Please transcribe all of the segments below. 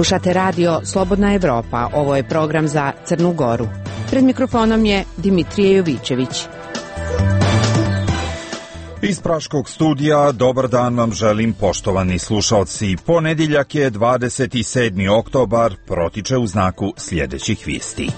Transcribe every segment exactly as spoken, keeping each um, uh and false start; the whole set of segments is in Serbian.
Slušate radio Slobodna Evropa, ovo je program za Crnu Goru. Pred mikrofonom je Dimitrije Jovićević. Iz Praškog studija, dobar dan vam želim, poštovani slušalci. Ponedjeljak je dvadeset sedmi oktobar, protiče u znaku sljedećih vijesti.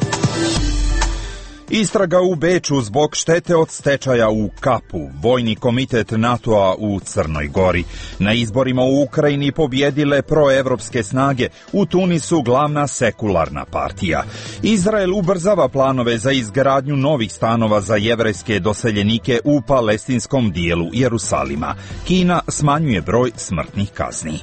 Istraga u Beču zbog štete od stečaja u Kapu, Vojni komitet NATO-a u Crnoj Gori. Na izborima u Ukrajini pobjedile proevropske snage, u Tunisu glavna sekularna partija. Izrael ubrzava planove za izgradnju novih stanova za jevrejske doseljenike u palestinskom dijelu Jerusalima. Kina smanjuje broj smrtnih kazni.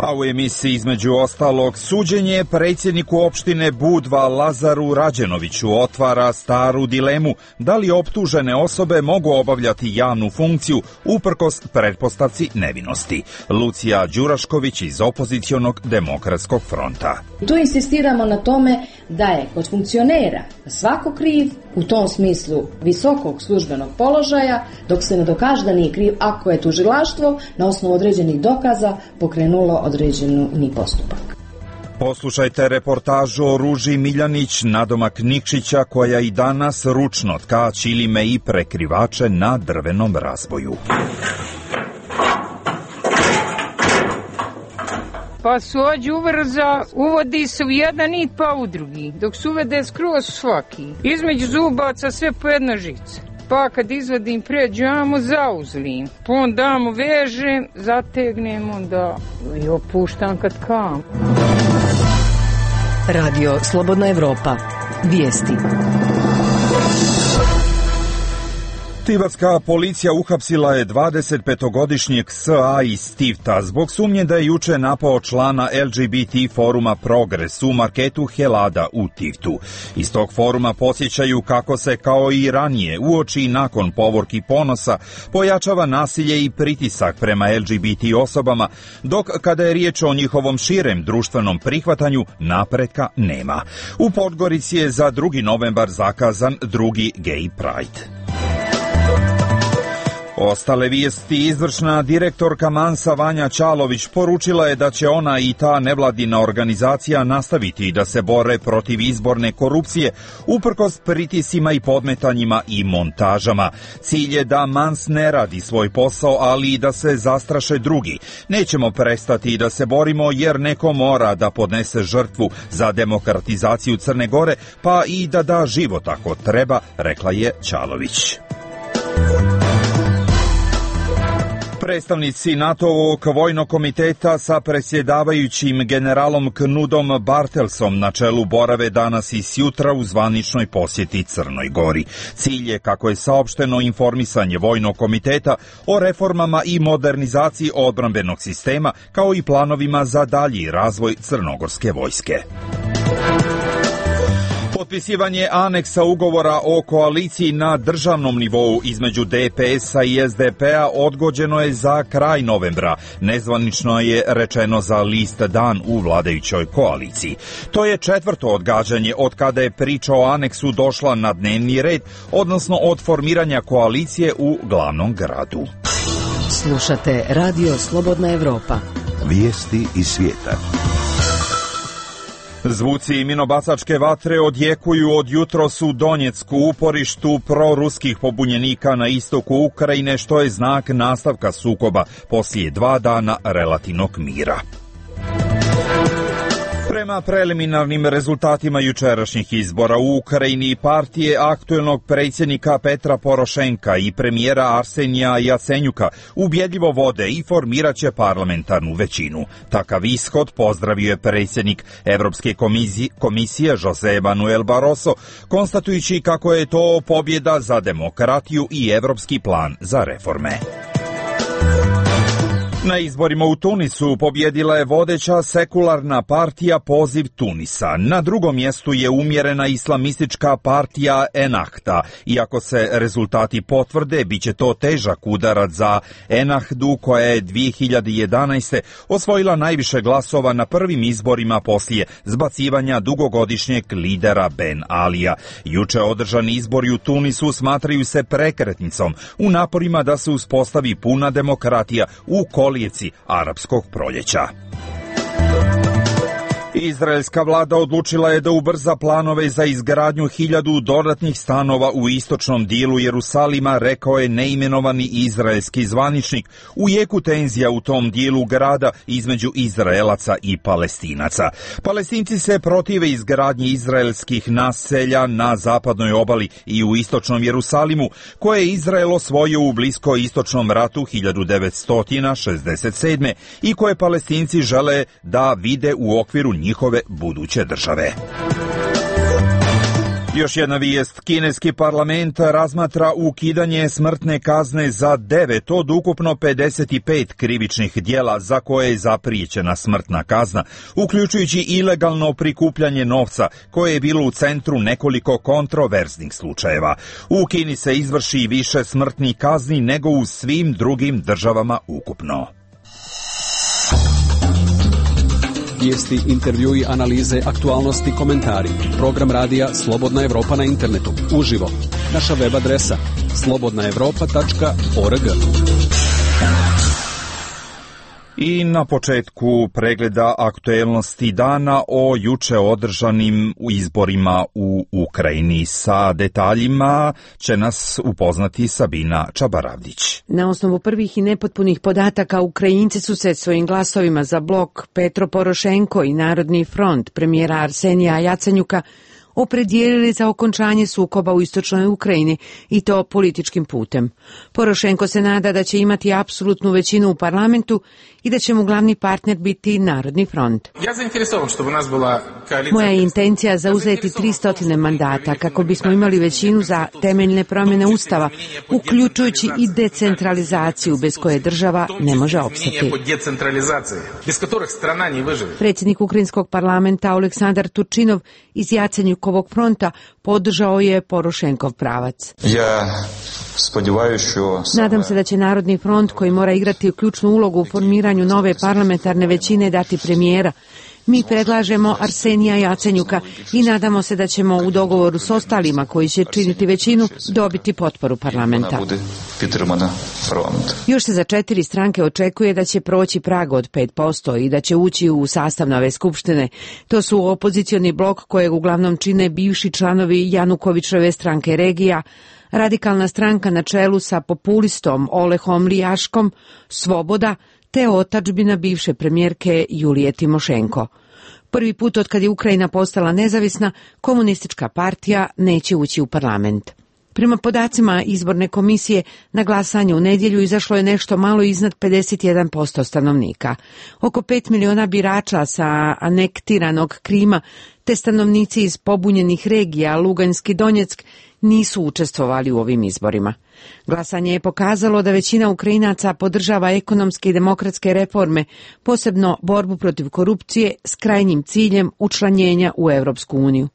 A u emisiji između ostalog suđenje predsjedniku opštine Budva Lazaru Rađenoviću otvara staru dilemu da li optužene osobe mogu obavljati javnu funkciju uprkos pretpostavci nevinosti. Lucija Đurašković iz opozicionog demokratskog fronta. Tu insistiramo na tome da je kod funkcionera svako kriv u tom smislu visokog službenog položaja, dok se ne dokaže da nije kriv ako je tužilaštvo na osnovu određenih dokaza pokrenulo određeni postupak. Poslušajte reportažu o Ruži Miljanić, nadomak Nikšića, koja i danas ručno tka ćilime i prekrivače na drvenom razboju. Pa suđu uvrza, uvodi se u jedan nit pa u drugi, dok se uvede skroz svaki. Između zubaca sve po jedna žica. Pa kad izvadim pređamo, zauzlim. Pa onda mu vežem, zategnem, onda i opuštam kad kam. Radio Slobodna Evropa. Vijesti. Tivatska policija uhapsila je dvadesetpetogodišnjeg S A iz Tivta zbog sumnje da je juče napao člana L G B T foruma Progres u marketu Helada u Tivtu. Iz tog foruma podsjećaju kako se kao i ranije uoči i nakon povorki ponosa pojačava nasilje i pritisak prema L G B T osobama, dok kada je riječ o njihovom širem društvenom prihvatanju napretka nema. U Podgorici je za drugi novembar zakazan drugi Gay Pride. Ostale vijesti. Izvršna direktorka Mansa Vanja Čalović poručila je da će ona i ta nevladina organizacija nastaviti da se bore protiv izborne korupcije uprkos pritisima i podmetanjima i montažama. Cilj je da Mans ne radi svoj posao, ali i da se zastraše drugi. Nećemo prestati da se borimo jer neko mora da podnese žrtvu za demokratizaciju Crne Gore, pa i da da život ako treba, rekla je Čalović. Predstavnici NATO-ovog vojnog komiteta sa predsjedavajućim generalom Knudom Bartelsom na čelu borave danas i sjutra u zvaničnoj posjeti Crnoj Gori. Cilj je, kako je saopšteno, informisanje vojnog komiteta o reformama i modernizaciji odbrambenog sistema, kao i planovima za dalji razvoj crnogorske vojske. Potpisivanje aneksa ugovora o koaliciji na državnom nivou između D P S-a i S D P-a odgođeno je za kraj novembra. Nezvanično je rečeno za list Dan u vladajućoj koaliciji. To je četvrto odgađanje od kada je priča o aneksu došla na dnevni red, odnosno od formiranja koalicije u glavnom gradu. Slušate radio Slobodna Evropa. Vijesti iz svijeta. Zvuci minobacačke vatre odjekuju od jutros u Donjecku, uporištu proruskih pobunjenika na istoku Ukrajine, što je znak nastavka sukoba poslije dva dana relativnog mira. Prema preliminarnim rezultatima jučerašnjih izbora u Ukrajini, partije aktuelnog predsjednika Petra Porošenka i premijera Arsenija Jacenjuka ubjedljivo vode i formirat će parlamentarnu većinu. Takav ishod pozdravio je predsjednik Evropske komisije, komisije Jose Manuel Barroso, konstatujući kako je to pobjeda za demokratiju i evropski plan za reforme. Na izborima u Tunisu pobjedila je vodeća sekularna partija Poziv Tunisa. Na drugom mjestu je umjerena islamistička partija Ennahda. Iako se rezultati potvrde, bit će to težak udarac za Ennahdu, koja je dvije hiljade jedanaeste. osvojila najviše glasova na prvim izborima poslije zbacivanja dugogodišnjeg lidera Ben Alija. Juče održani izbori u Tunisu smatraju se prekretnicom u naporima da se uspostavi puna demokratija u kolijevci arapskog proljeća. Izraelska vlada odlučila je da ubrza planove za izgradnju hiljadu dodatnih stanova u istočnom dijelu Jerusalima, rekao je neimenovani izraelski zvaničnik, u jeku tenzija u tom dijelu grada između Izraelaca i Palestinaca. Palestinci se protive izgradnji izraelskih naselja na zapadnoj obali i u istočnom Jerusalimu, koje je Izrael osvojio u bliskoistočnom ratu hiljadu devetsto šezdeset sedme i koje Palestinci žele da vide u okviru njihove buduće države. Još jedna vijest. Kineski parlament razmatra ukidanje smrtne kazne za devet od ukupno pedeset pet krivičnih djela za koje je zapriječena smrtna kazna, uključujući ilegalno prikupljanje novca koje je bilo u centru nekoliko kontroverznih slučajeva. U Kini se izvrši više smrtnih kazni nego u svim drugim državama ukupno. Vijesti, intervjui, analize, aktualnosti, komentari. Program radija Slobodna Evropa na internetu. Uživo. Naša web adresa slobodna evropa tačka org. I na početku pregleda aktuelnosti dana o juče održanim izborima u Ukrajini. Sa detaljima će nas upoznati Sabina Čabaravdić. Na osnovu prvih i nepotpunih podataka, Ukrajinci su se svojim glasovima za blok Petro Porošenko i Narodni front premijera Arsenija Jacenjuka opredijelili za okončanje sukoba u istočnoj Ukrajini i to političkim putem. Porošenko se nada da će imati apsolutnu većinu u parlamentu i da će mu glavni partner biti Narodni front. Moja je intencija zauzeti tristo mandata kako bismo imali većinu za temeljne promjene Ustava, uključujući i decentralizaciju bez koje država ne može opstati. Predsjednik Ukrajinskog parlamenta Oleksandar Turčinov iz Jacenjukovog fronta podržao je Porošenkov pravac. Nadam se da će Narodni front, koji mora igrati ključnu ulogu u formiranju nove parlamentarne većine, dati premijera. Mi predlažemo Arsenija Jacenjuka i nadamo se da ćemo u dogovoru s ostalima koji će činiti većinu dobiti potporu parlamenta. Još se za četiri stranke očekuje da će proći prag od pet posto i da će ući u sastav nove skupštine. To su opozicioni blok kojeg uglavnom čine bivši članovi Janukovićeve stranke regija, Radikalna stranka na čelu sa populistom Olehom Lijaškom, Svoboda, te otadžbina bivše premijerke Julije Timošenko. Prvi put od kad je Ukrajina postala nezavisna, komunistička partija neće ući u parlament. Prema podacima izborne komisije, na glasanje u nedjelju izašlo je nešto malo iznad pedeset jedan posto stanovnika. Oko pet miliona birača sa anektiranog Krima te stanovnici iz pobunjenih regija Luganski, Donjeck nisu učestvovali u ovim izborima. Glasanje je pokazalo da većina Ukrajinaca podržava ekonomske i demokratske reforme, posebno borbu protiv korupcije s krajnjim ciljem učlanjenja u Europsku uniju.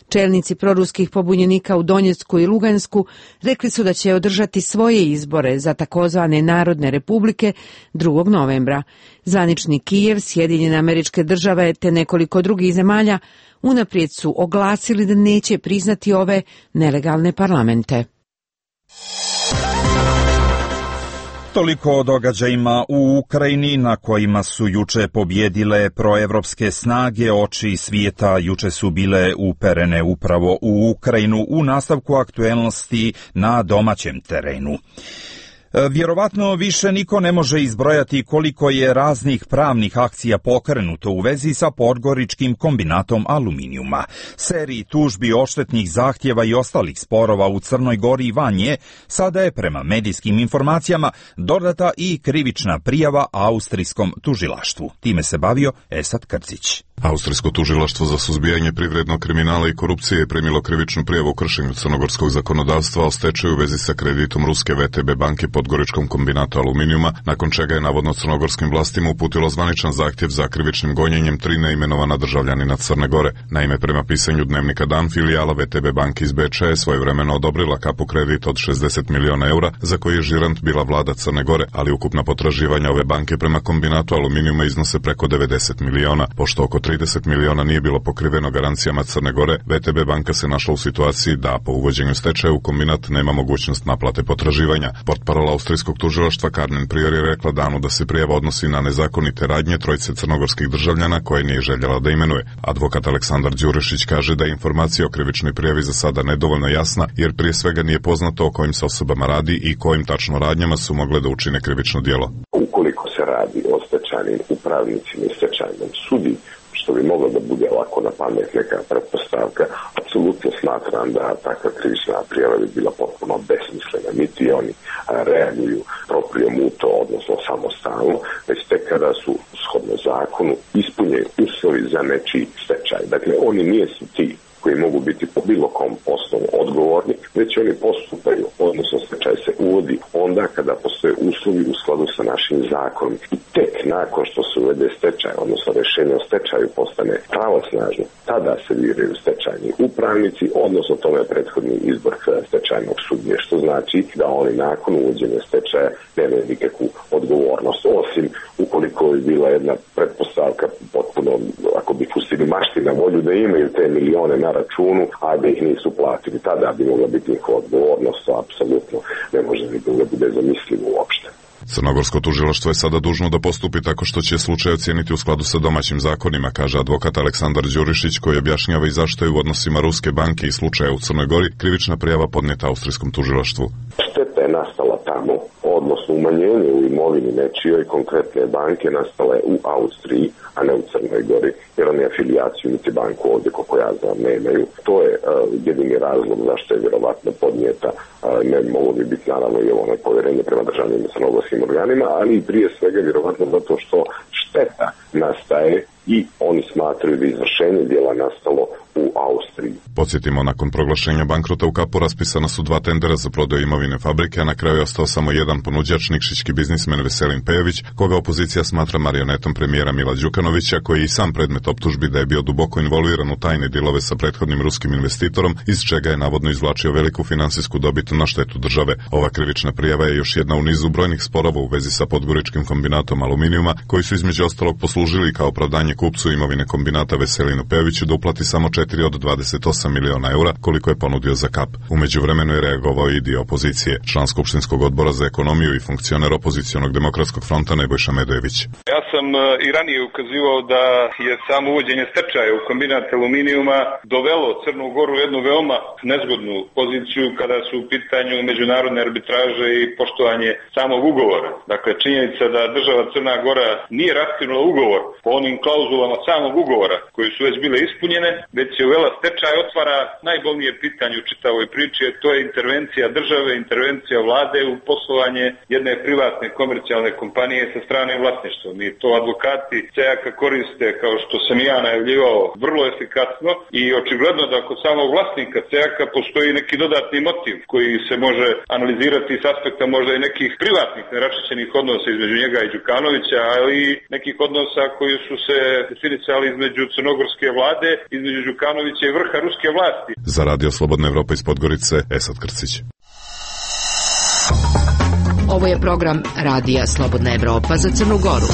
Čelnici proruskih pobunjenika u Donjecku i Lugansku rekli su da će održati svoje izbore za takozvane Narodne republike drugog novembra. Zvanični Kijev, Sjedinjene Američke Države te nekoliko drugih zemalja unaprijed su oglasili da neće priznati ove nelegalne parlamente. Toliko o događajima u Ukrajini na kojima su juče pobjedile proevropske snage. Oči svijeta juče su bile uperene upravo u Ukrajinu u nastavku aktuelnosti na domaćem terenu. Vjerovatno više niko ne može izbrojati koliko je raznih pravnih akcija pokrenuto u vezi sa Podgoričkim kombinatom aluminijuma. Seriji tužbi, odštetnih zahtjeva i ostalih sporova u Crnoj Gori i van nje, sada je prema medijskim informacijama dodata i krivična prijava austrijskom tužilaštvu. Time se bavio Esad Krcić. Austrijsko tužilaštvo za suzbijanje privrednog kriminala i korupcije je primilo krivičnu prijavu o kršenju crnogorskog zakonodavstva o stečaju u vezi sa kreditom ruske V T B banke Podgoričkom kombinatu aluminijuma, nakon čega je navodno crnogorskim vlastima uputilo zvaničan zahtjev za krivičnim gonjenjem tri neimenovana državljanina Crne Gore. Naime, prema pisanju dnevnika Dan, filijala V T B banke iz Beča je svojevremeno odobrila kapu kredit od šezdeset miliona eura, za koji je žirant bila vlada Crne Gore, ali ukupna potraživanja ove banke prema kombinatu aluminijuma iznose preko devedeset miliona, pošto oko trideset miliona nije bilo pokriveno garancijama Crne Gore, V T B banka se našla u situaciji da po uvođenju stečaja u kombinat nema mogućnost naplate potraživanja. Portparol austrijskog tužilaštva Carmen Prior je rekla Danu da se prijava odnosi na nezakonite radnje trojice crnogorskih državljana koje nije željela da imenuje. Advokat Aleksandar Đurišić kaže da je informacija o krivičnoj prijavi za sada nedovoljno jasna, jer prije svega nije poznato o kojim se osobama radi i kojim tačno radnjama su mogle da učine krivično djelo. Ukoliko se radi o stečajnim upravnicima i stečajnom sudi, što bi moglo da bude ovako na pamet neka pretpostavka, apsolutno smatram da takva krivična prijava bi bila potpuno besmislena. Niti oni reaguju proprijom u to, odnosno samostalno, već tek kada su shodno zakonu ispunjeni uslovi za nečiji stečaj. Dakle, oni nisu ti koji mogu biti po bilo kom osnovu odgovorni, već oni postupaju, odnosno stečaj se uvodi onda kada postoje uslovi u skladu sa našim zakonom. I tek nakon što se uvede stečaj, odnosno rješenje o stečaju postane pravosnažno, tada se biraju stečajni upravnici, odnosno tome je prethodni izbor stečajnog sudije, što znači da oni nakon uvođenja stečaja nemaju nikakvu odgovornost, osim ukoliko je bila jedna pretpostavka potpuno, ako bi pustili mašti na volju da imaju te milione na računu, a da ih nisu platili, tada bi mogla biti njihova odgovornost, to apsolutno ne može nikoga da bude zamislivo uopšte. Crnogorsko tužilaštvo je sada dužno da postupi tako što će slučaj ocijeniti u skladu sa domaćim zakonima, kaže advokat Aleksandar Đurišić, koji objašnjava i zašto je u odnosima Ruske banke i slučaja u Crnoj Gori krivična prijava podnijeta austrijskom tužilaštvu. Šteta je nastala tamo, odnosno umanjenje u imovini nečijoj konkretne banke nastale u Austriji, a ne u Crnoj Gori, jer oni afilijaciju niti banku ovdje, koliko ja znam, nemaju. To je uh, jedini razlog zašto je vjerovatno podnijeta, uh, ne mogu bi biti naravno i ovo povjerenje prema državnim i crnogorskim organima, ali i prije svega vjerovatno zato što šteta nastaje i oni smatraju da izvršenje djela nastalo u Austriji. Podsjetimo, nakon proglašenja bankrota u Kapu raspisana su dva tendera za prodaju imovine fabrike, a na kraju je ostao samo jedan ponuđač, nikšićki biznismen Veselin Pejović, koga opozicija smatra marionetom premijera Mila Đukanovića, koji je i sam predmet optužbi da je bio duboko involviran u tajne dilove sa prethodnim ruskim investitorom, iz čega je navodno izvlačio veliku finansijsku dobit na štetu države. Ova krivična prijava je još jedna u nizu brojnih sporova u vezi sa podgoričkim kombinatom aluminijuma, koji su između ostalog poslužili kao opravdanje kupcu imovine kombinata Veselinu Pejoviću da uplati samo četiri od dvadeset osam miliona eura, koliko je ponudio za Kap. U međuvremenu je reagovao i dio opozicije, član Skupštinskog odbora za ekonomiju i funkcioner opozicionog demokratskog fronta Nebojša Medojević. Ja sam i ranije ukazivao da je samo uvođenje stečaja u kombinat aluminijuma dovelo Crnu Goru u jednu veoma nezgodnu poziciju kada su u pitanju međunarodne arbitraže i poštovanje samog ugovora. Dakle, činjenica da država Crna Gora nije raskinula ugovor po onim klauzulama samog ugovora koji su već bile ispunjene, već je uvela stečaj, otvara najbolnije pitanje u čitavoj priči, to je intervencija države, intervencija vlade u poslovanje jedne privatne komercijalne kompanije sa stranim vlasništvom. I to advokati Cejaka koriste, kao što sam ja najavljivao, vrlo efikasno i očigledno da kod samog vlasnika Cejaka postoji neki dodatni motiv koji se može analizirati s aspekta možda i nekih privatnih neraščišćenih odnosa između njega i Đukanovića, ali i nekih odnosa koji su se definisali između crnogorske vlade, između Đukanovića i vrha ruske vlasti. Za Radio Slobodna Evropa iz Podgorice, Esad Krcić. Ovo je program Radija Slobodna Evropa za Crnu Goru.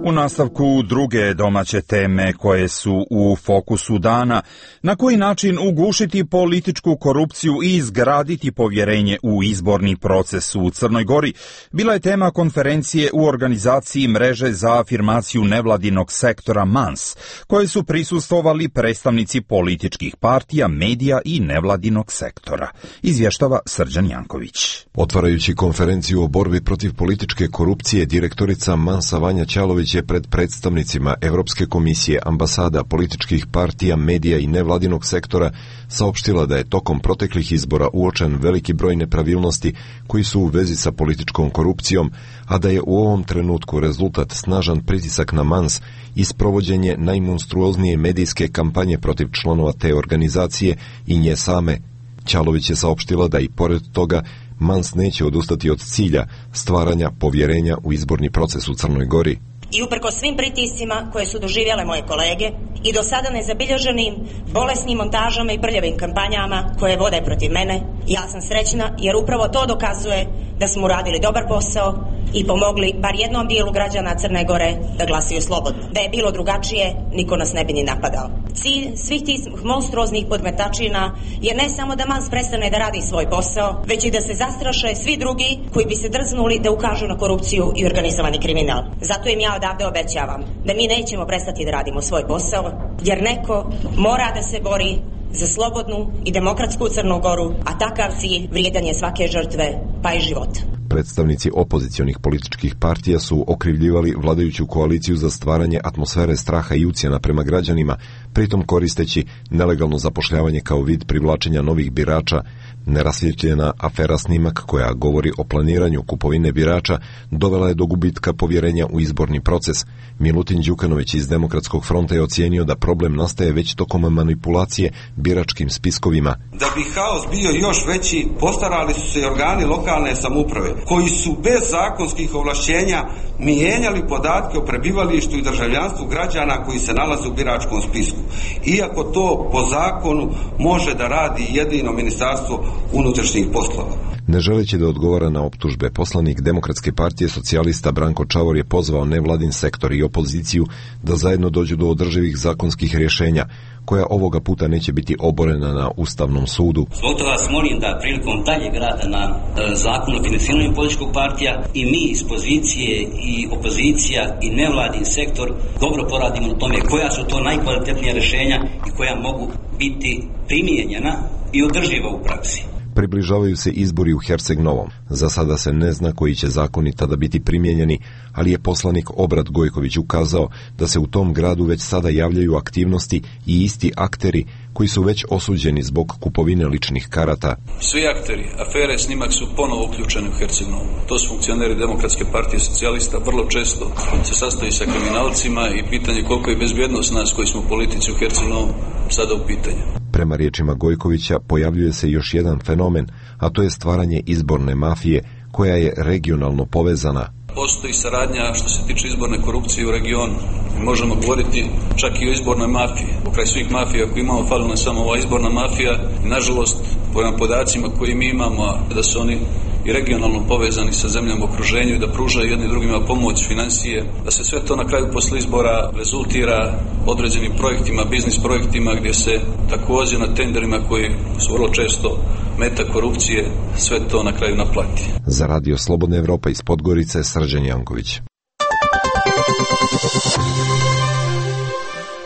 U nastavku druge domaće teme koje su u fokusu dana, na koji način ugušiti političku korupciju i izgraditi povjerenje u izborni proces u Crnoj Gori, bila je tema konferencije u organizaciji Mreže za afirmaciju nevladinog sektora MANS, koje su prisustvovali predstavnici političkih partija, medija i nevladinog sektora. Izvještava Srđan Janković. Otvarajući konferenciju o borbi protiv političke korupcije, direktorica MANS-a Vanja Ćalović je pred predstavnicima Evropske komisije, ambasada, političkih partija, medija i nevladinog sektora saopštila da je tokom proteklih izbora uočen veliki broj nepravilnosti koji su u vezi sa političkom korupcijom, a da je u ovom trenutku rezultat snažan pritisak na MANS i sprovođenje najmonstruoznije medijske kampanje protiv članova te organizacije i nje same. Ćalović je saopštila da i pored toga MANS neće odustati od cilja stvaranja povjerenja u izborni proces u Crnoj Gori. I uprko svim pritiscima koje su doživjele moje kolege i do sada nezabilježenim bolesnim montažama i prljavim kampanjama koje vode protiv mene, Ja sam srećna jer upravo to dokazuje da smo uradili dobar posao i pomogli bar jednom dijelu građana Crne Gore da glasaju slobodno. Da je bilo drugačije, niko nas ne bi ni napadao. Cilj svih tih monstruoznih podmetačina je ne samo da Mans prestane da radi svoj posao, već i da se zastraše svi drugi koji bi se drznuli da ukažu na korupciju i organizovani kriminal. Zato im ja odavde obećavam da mi nećemo prestati da radimo svoj posao, jer neko mora da se bori za slobodnu i demokratsku Crnu Goru, a takav cilj vrijedan je svake žrtve, pa i života. Predstavnici opozicionih političkih partija su okrivljivali vladajuću koaliciju za stvaranje atmosfere straha i ucjena prema građanima, pritom koristeći nelegalno zapošljavanje kao vid privlačenja novih birača. Nerasvjetljena afera snimak koja govori o planiranju kupovine birača dovela je do gubitka povjerenja u izborni proces. Milutin Đukanović iz Demokratskog fronta je ocijenio da problem nastaje već tokom manipulacije biračkim spiskovima. Da bi haos bio još veći, postarali su se i organi lokalne samouprave, koji su bez zakonskih ovlašćenja mijenjali podatke o prebivalištu i državljanstvu građana koji se nalaze u biračkom spisku. Iako to po zakonu može da radi jedino Ministarstvo unutrašnjih poslova. Ne želeći da odgovara na optužbe, poslanik Demokratske partije socijalista Branko Čavor je pozvao nevladin sektor i opoziciju da zajedno dođu do održivih zakonskih rješenja, koja ovoga puta neće biti oborena na Ustavnom sudu. Zbog toga vas molim da prilikom daljeg rada na e, zakonu o financiranju političkog partija i mi iz pozicije i opozicija i nevladin sektor dobro poradimo na tome koja su to najkvalitetnija rješenja i koja mogu biti primijenjena i održiva u praksi. Približavaju se izbori u Herceg Novom. Za sada se ne zna koji će zakoni tada biti primijenjeni, ali je poslanik Obrad Gojković ukazao da se u tom gradu već sada javljaju aktivnosti i isti akteri koji su već osuđeni zbog kupovine ličnih karata. Svi akteri afere snimak su ponovo uključeni u Herceg Novom. To su funkcioneri Demokratske partije socijalista, vrlo često se sastoji sa kriminalcima i pitanje koliko je bezbjednost nas koji smo politici u Herceg Novom sada u pitanju. Prema riječima Gojkovića pojavljuje se još jedan fenomen, a to je stvaranje izborne mafije koja je regionalno povezana. Postoji saradnja što se tiče izborne korupcije u regionu. Možemo govoriti čak i o izbornoj mafiji. Pokraj svih mafija koje imamo, fali nam samo ova izborna mafija. I nažalost, po podacima koji mi imamo, da su oni i regionalno povezani sa zemljama u okruženju i da pružaju jedni drugima pomoć, financije, da se sve to na kraju posle izbora rezultira određenim projektima, biznis projektima gdje se također na tenderima koji su vrlo često meta korupcije, sve to na kraju naplati. Za Radio Slobodna Evropa iz Podgorice, Srđan Janković.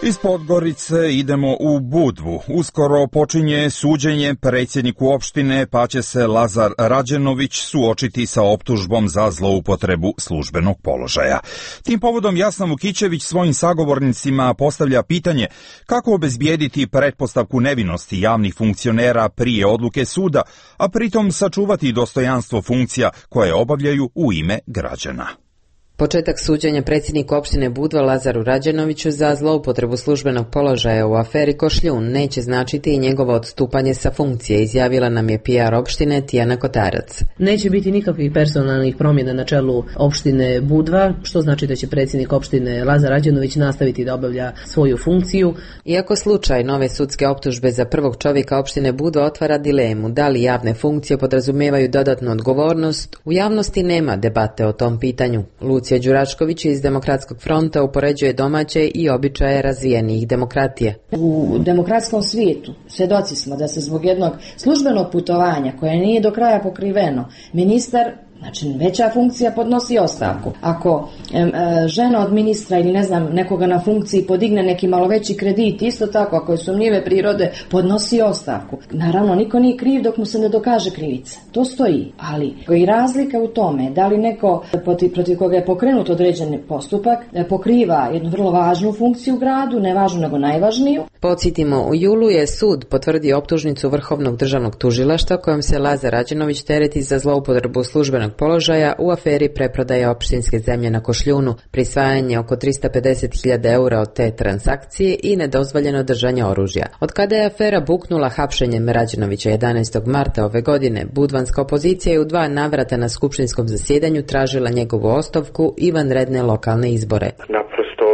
Iz Podgorice idemo u Budvu. Uskoro počinje suđenje predsjedniku opštine, pa će se Lazar Rađenović suočiti sa optužbom za zloupotrebu službenog položaja. Tim povodom Jasna Vukićević svojim sagovornicima postavlja pitanje kako obezbijediti pretpostavku nevinosti javnih funkcionera prije odluke suda, a pritom sačuvati dostojanstvo funkcija koje obavljaju u ime građana. Početak suđenja predsjedniku opštine Budva Lazaru Rađenoviću za zloupotrebu službenog položaja u aferi Košljun neće značiti i njegovo odstupanje sa funkcije, izjavila nam je P R opštine Tijana Kotarac. Neće biti nikakvih personalnih promjena na čelu opštine Budva, što znači da će predsjednik opštine Lazar Rađenović nastaviti da obavlja svoju funkciju. Iako slučaj nove sudske optužbe za prvog čovjeka opštine Budva otvara dilemu da li javne funkcije podrazumijevaju dodatnu odgovornost, u javnosti nema debate o tom pitanju. Lucija Đuračković iz Demokratskog fronta upoređuje domaće i običaje razvijenih demokratije. U demokratskom svijetu svjedoci smo da se zbog jednog službenog putovanja koje nije do kraja pokriveno, ministar, znači veća funkcija, podnosi ostavku. Ako e, e, žena od ministra ili ne znam nekoga na funkciji podigne neki malo veći kredit, isto tako ako je sumnjive prirode, podnosi ostavku. Naravno, niko nije kriv dok mu se ne dokaže krivica. To stoji, ali i razlika u tome da li neko protiv, protiv koga je pokrenut određeni postupak pokriva jednu vrlo važnu funkciju u gradu, ne važnu nego najvažniju. Podsjetimo, u julu je sud potvrdio optužnicu Vrhovnog državnog tužilaštva kojom se Lazar Rađenović tereti za zloupotrebu službenog položaja u aferi preprodaje opštinske zemlje na Košljunu, prisvajanje oko tristo pedeset hiljada eura od te transakcije i nedozvoljeno držanje oružja. Od kada je afera buknula hapšenjem Rađenovića jedanaestog marta ove godine, budvanska opozicija je u dva navrata na skupštinskom zasjedanju tražila njegovu ostavku i vanredne lokalne izbore. Naprosto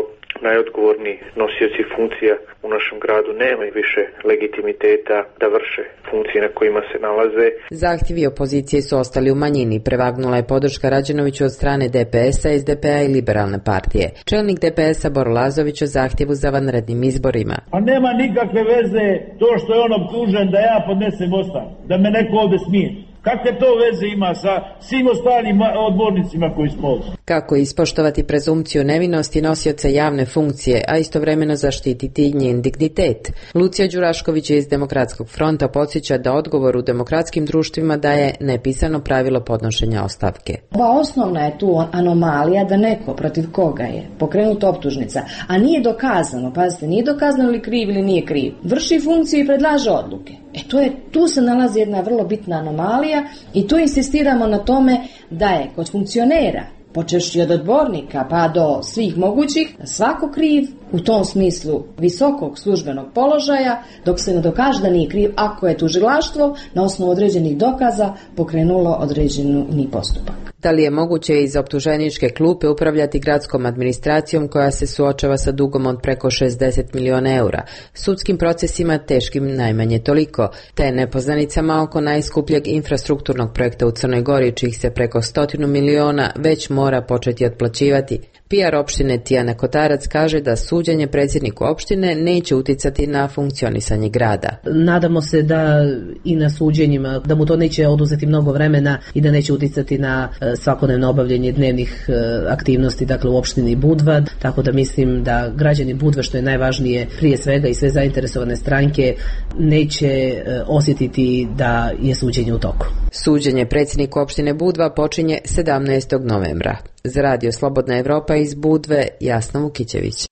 najodgovorniji nosioci funkcija u našem gradu nemaju više legitimiteta da vrše funkcije na kojima se nalaze. Zahtjevi opozicije su ostali u manjini. Prevagnula je podrška Rađenoviću od strane D P S-a, S D P-a i Liberalne partije. Čelnik D P S-a Boro Lazović o zahtjevu za vanrednim izborima. A nema nikakve veze to što je on optužen da ja podnesem ostavku, da me neko ovde smije. Kakve to veze ima sa svim ostalim odbornicima koji smo ovdje? Kako ispoštovati prezumciju nevinosti nosioca javne funkcije, a istovremeno zaštititi njen dignitet? Lucija Đurašković iz Demokratskog fronta podsjeća da odgovor u demokratskim društvima daje nepisano pravilo podnošenja ostavke. Ova osnovna je tu anomalija da neko protiv koga je pokrenuta optužnica, a nije dokazano, pazite, nije dokazano li kriv ili nije kriv, vrši funkciju i predlaže odluke. E to je, tu se nalazi jedna vrlo bitna anomalija i tu insistiramo na tome da je kod funkcionera, počevši od odbornika pa do svih mogućih, svako kriv u tom smislu visokog službenog položaja, dok se ne dokaže da nije kriv ako je tužilaštvo na osnovu određenih dokaza pokrenulo određeni postupak. Da li je moguće iz optuženičke klupe upravljati gradskom administracijom koja se suočava sa dugom od preko šezdeset miliona eura, sudskim procesima teškim najmanje toliko, te nepoznanicama oko najskupljeg infrastrukturnog projekta u Crnoj Gori, čih se preko stotinu miliona već mora početi otplaćivati? P R opštine Tijana Kotarac kaže da suđenje predsjedniku opštine neće uticati na funkcionisanje grada. Nadamo se da i na suđenjima, da mu to neće oduzeti mnogo vremena i da neće uticati na svakodnevno obavljanje dnevnih aktivnosti, dakle u opštini Budva, tako da mislim da građani Budve, što je najvažnije prije svega i sve zainteresovane stranke, neće osjetiti da je suđenje u toku. Suđenje predsjedniku opštine Budva počinje sedamnaestog novembra. Za Radio Slobodna Evropa iz Budve, Jasna Vukićević.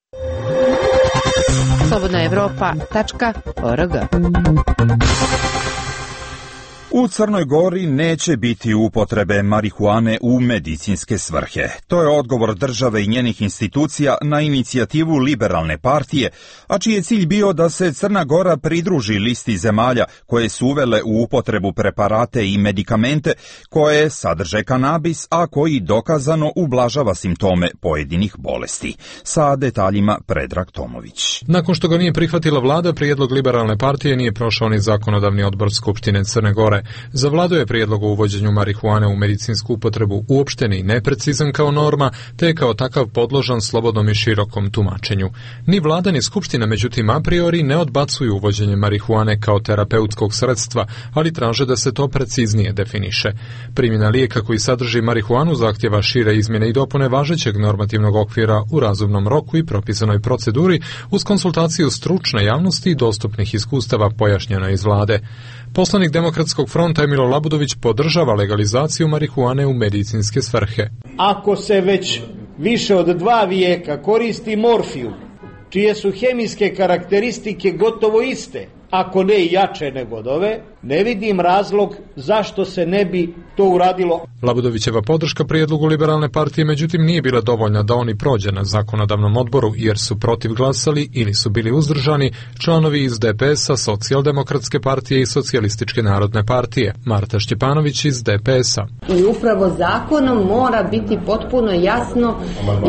slobodna evropa tačka org. U Crnoj Gori neće biti upotrebe marihuane u medicinske svrhe. To je odgovor države i njenih institucija na inicijativu Liberalne partije, a čiji je cilj bio da se Crna Gora pridruži listi zemalja koje su uvele u upotrebu preparate i medikamente koje sadrže kanabis, a koji dokazano ublažava simptome pojedinih bolesti. Sa detaljima Predrag Tomović. Nakon što ga nije prihvatila vlada, prijedlog Liberalne partije nije prošao ni zakonodavni odbor Skupštine Crne Gore. Za vladu je prijedlog o uvođenju marihuane u medicinsku upotrebu uopšteni i neprecizan kao norma, te je kao takav podložan slobodnom i širokom tumačenju. Ni vlada ni skupština, međutim, a priori ne odbacuju uvođenje marihuane kao terapeutskog sredstva, ali traže da se to preciznije definiše. Primjena lijeka koji sadrži marihuanu zahtjeva šire izmjene i dopune važećeg normativnog okvira u razumnom roku i propisanoj proceduri uz konsultaciju stručne javnosti i dostupnih iskustava, pojašnjeno iz vlade. Poslanik Demokratskog fronta Emilo Labudović podržava legalizaciju marihuane u medicinske svrhe. Ako se već više od dva vijeka koristi morfijum, čije su hemijske karakteristike gotovo iste, ako ne i jače nego od ove, ne vidim razlog zašto se ne bi to uradilo. Labudovićeva podrška prijedlogu Liberalne partije međutim nije bila dovoljna da oni prođe na zakonodavnom odboru, jer su protiv glasali ili su bili uzdržani članovi iz D P S-a, Socijaldemokratske partije i Socijalističke narodne partije. Marta Šćepanović iz D P S-a. I upravo zakonom mora biti potpuno jasno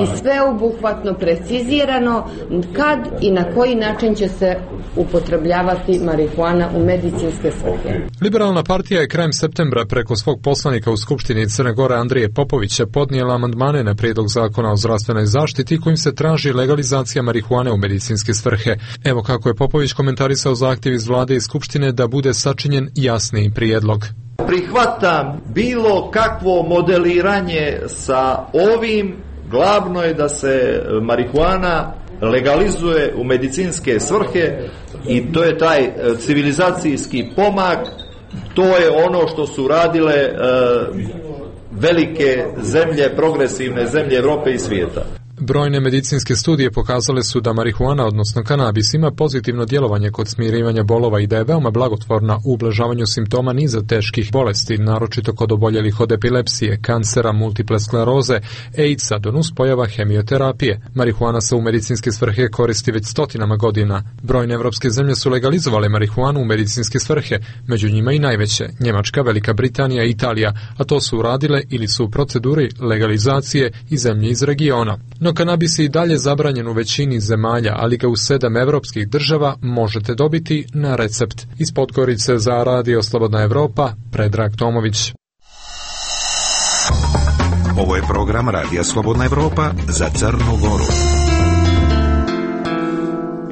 i sveobuhvatno precizirano kad i na koji način će se upotrebljavati marihuana u medicinske svrhe. Liberalna partija je krajem septembra preko svog poslanika u Skupštini Crne Gore Andrije Popovića podnijela amandmane na prijedlog zakona o zdravstvenoj zaštiti kojim se traži legalizacija marihuane u medicinske svrhe. Evo kako je Popović komentarisao zahtjev iz vlade i Skupštine da bude sačinjen jasniji prijedlog. Prihvatam bilo kakvo modeliranje sa ovim, glavno je da se marihuana legalizuje u medicinske svrhe i to je taj civilizacijski pomak, to je ono što su radile e, velike zemlje, progresivne zemlje Evrope i svijeta. Brojne medicinske studije pokazale su da marihuana, odnosno kanabis, ima pozitivno djelovanje kod smirivanja bolova i da je veoma blagotvorna u ublažavanju simptoma niza teških bolesti, naročito kod oboljelih od epilepsije, kancera, multiple skleroze, AIDS-a do nuspojava hemioterapije. Marihuana se u medicinske svrhe koristi već stotinama godina. Brojne evropske zemlje su legalizovale marihuanu u medicinske svrhe, među njima i najveće, Njemačka, Velika Britanija i Italija, a to su uradile ili su u proceduri legalizacije i zemlje iz regiona. No kanabis je i dalje zabranjen u većini zemalja, ali ga u sedam evropskih država možete dobiti na recept. Iz Podgorice za Radio Slobodna Evropa, Predrag Tomović. Ovo je program Radija Slobodna Evropa za Crnu Goru.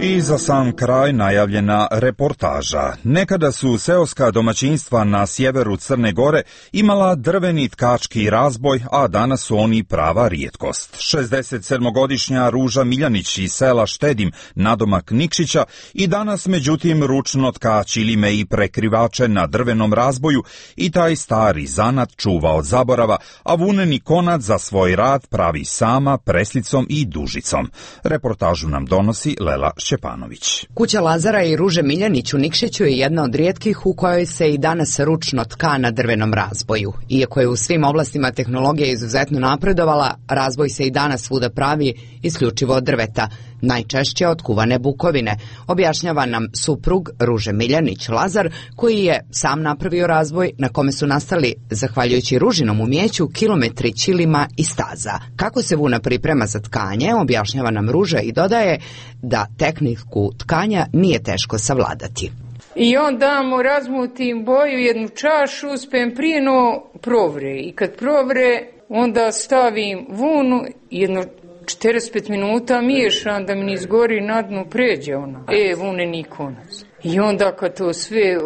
I za sam kraj najavljena reportaža. Nekada su seoska domaćinstva na sjeveru Crne Gore imala drveni tkački razboj, a danas su oni prava rijetkost. šezdesetsedmogodišnja Ruža Miljanić iz sela Štedim, nadomak Nikšića, i danas međutim ručno tka ćilime i prekrivače na drvenom razboju i taj stari zanat čuva od zaborava, a vuneni konac za svoj rad pravi sama preslicom i dužicom. Reportažu nam donosi Lela Šćepanović. Kuća Lazara i Ruže Miljanić u Nikšiću je jedna od rijetkih u kojoj se i danas ručno tka na drvenom razboju. Iako je u svim oblastima tehnologija izuzetno napredovala, razboj se i danas svuda pravi isključivo od drveta, najčešće od kuvane bukovine, objašnjava nam suprug Ruže Miljanić Lazar, koji je sam napravio razboj na kome su nastali, zahvaljujući Ružinom umjeću, kilometri ćilima i staza. Kako se vuna priprema za tkanje, objašnjava nam Ruža i dodaje da tehniku tkanja nije teško savladati. I onda mu razmutim boju jednu čašu, uspijem prije no provre. I kad provre, onda stavim vunu, jedno četrdeset pet minuta miješam da mi ne izgori na dnu, pređe ona. E, vuneni konac. I onda kad to sve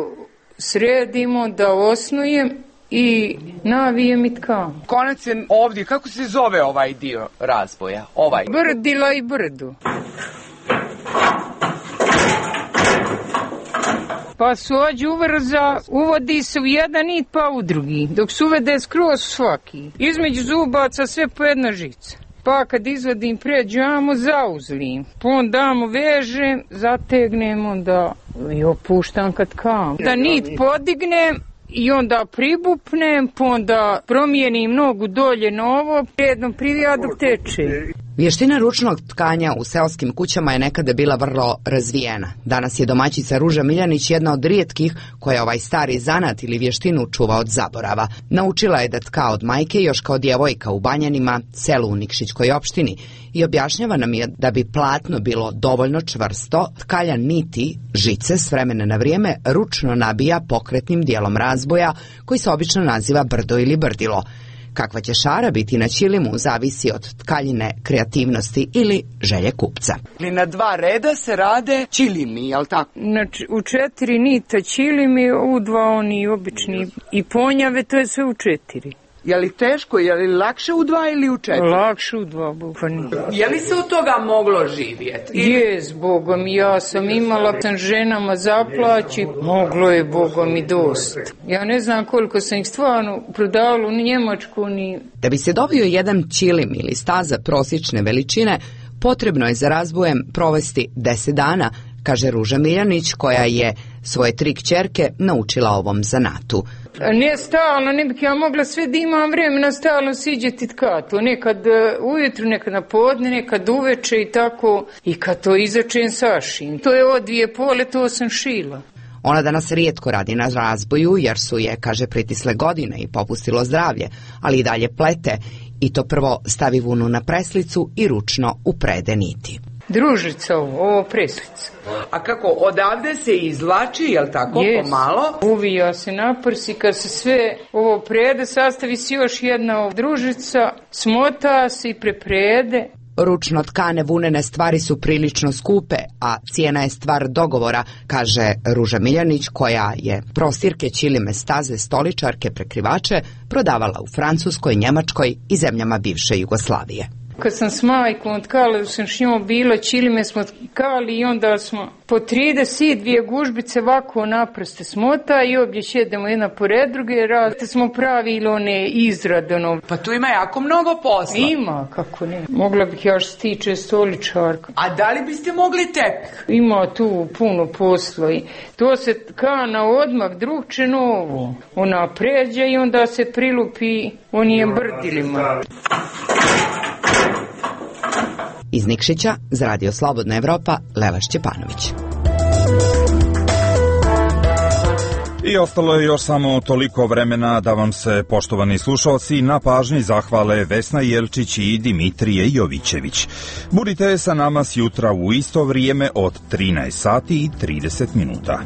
sredimo, da osnujem i navijem i tkam. Konac je ovdje, kako se zove ovaj dio razboja? Ovaj. Brdila i brdu. Pa suđu uvrza, uvodi se u jedan nit pa u drugi, dok se uvede skroz svaki. Između zubaca sve po jedna žica. Pa kad izvadim pređamo, zauzlim. Pa onda mu vežem, zategnem, onda i opuštam kad kam. Da nit podignem i onda pribupnem, pa onda promijenim nogu dolje na ovo, jednom privija dok teče. Vještina ručnog tkanja u seoskim kućama je nekada bila vrlo razvijena. Danas je domaćica Ruža Miljanić jedna od rijetkih koja ovaj stari zanat ili vještinu čuva od zaborava. Naučila je da tka od majke još kao djevojka u Banjanima, selu u Nikšićkoj opštini, i objašnjava nam je da bi platno bilo dovoljno čvrsto, tkalja niti žice s vremena na vrijeme ručno nabija pokretnim dijelom razboja koji se obično naziva brdo ili brdilo. Kakva će šara biti na ćilimu zavisi od tkaljine, kreativnosti ili želje kupca. Na dva reda se rade ćilimi, jel tako? Znači, u četiri nita ćilimi, u dva oni obični i ponjave, to je sve u četiri. Je li teško, je li lakše u dva ili u četiri? Lakše u dva, bukvalno. Je li se od toga moglo živjeti? Jes, Bogom, ja sam imala sam ženama zaplaći, moglo je Bogom i dosta. Ja ne znam koliko sam ih stvarno prodavala u Njemačku ni... Da bi se dobio jedan ćilim ili staza prosječne veličine, potrebno je za razbojem provesti deset dana, kaže Ruža Miljanić, koja je svoje tri kćerke naučila ovom zanatu. Ne stalno, ne bih ja mogla sve da imam vremena stalno siđeti tkatu. Nekad ujutru, nekad na podne, nekad uveče i tako. I kad to izačem sašim. To je od dvije pole, to sam šila. Ona danas rijetko radi na razboju jer su je, kaže, pritisle godine i popustilo zdravlje, ali i dalje plete. I to prvo stavi vunu na preslicu i ručno uprede niti. Družica ovo, ovo preslica. A kako, odavde se izvlači, jel tako, yes, pomalo? Uvija se na prsi, kad se sve ovo prede, sastavi se još jedna družica, smota se i preprede. Ručno tkane vunene stvari su prilično skupe, a cijena je stvar dogovora, kaže Ruža Miljanić, koja je prostirke, ćilime, staze, stoličarke, prekrivače prodavala u Francuskoj, Njemačkoj i zemljama bivše Jugoslavije. Kad sam s majkom tkala, sam s njom bila, ćilime smo tkali i onda smo po trideset dvije gužbice ovako naprste smota i obje šedemo jedna pored druge, različite smo pravili one izradano. Pa tu ima jako mnogo posla. Ima, kako ne. Mogla bih ja što se tiče stoličarka. A da li biste mogli tek? Ima tu puno posla i to se tka na odmah drugče novo. Ona pređe i onda se prilupi onijem brdilima. Iz Nikšića za Radio Slobodna Evropa, Lela Šćepanović. I ostalo je još samo toliko vremena da vam se, poštovani slušalci, na pažnji zahvale Vesna Jelčić i Dimitrije Jovićević. Budite sa nama sjutra u isto vrijeme od trinaest sati i trideset minuta.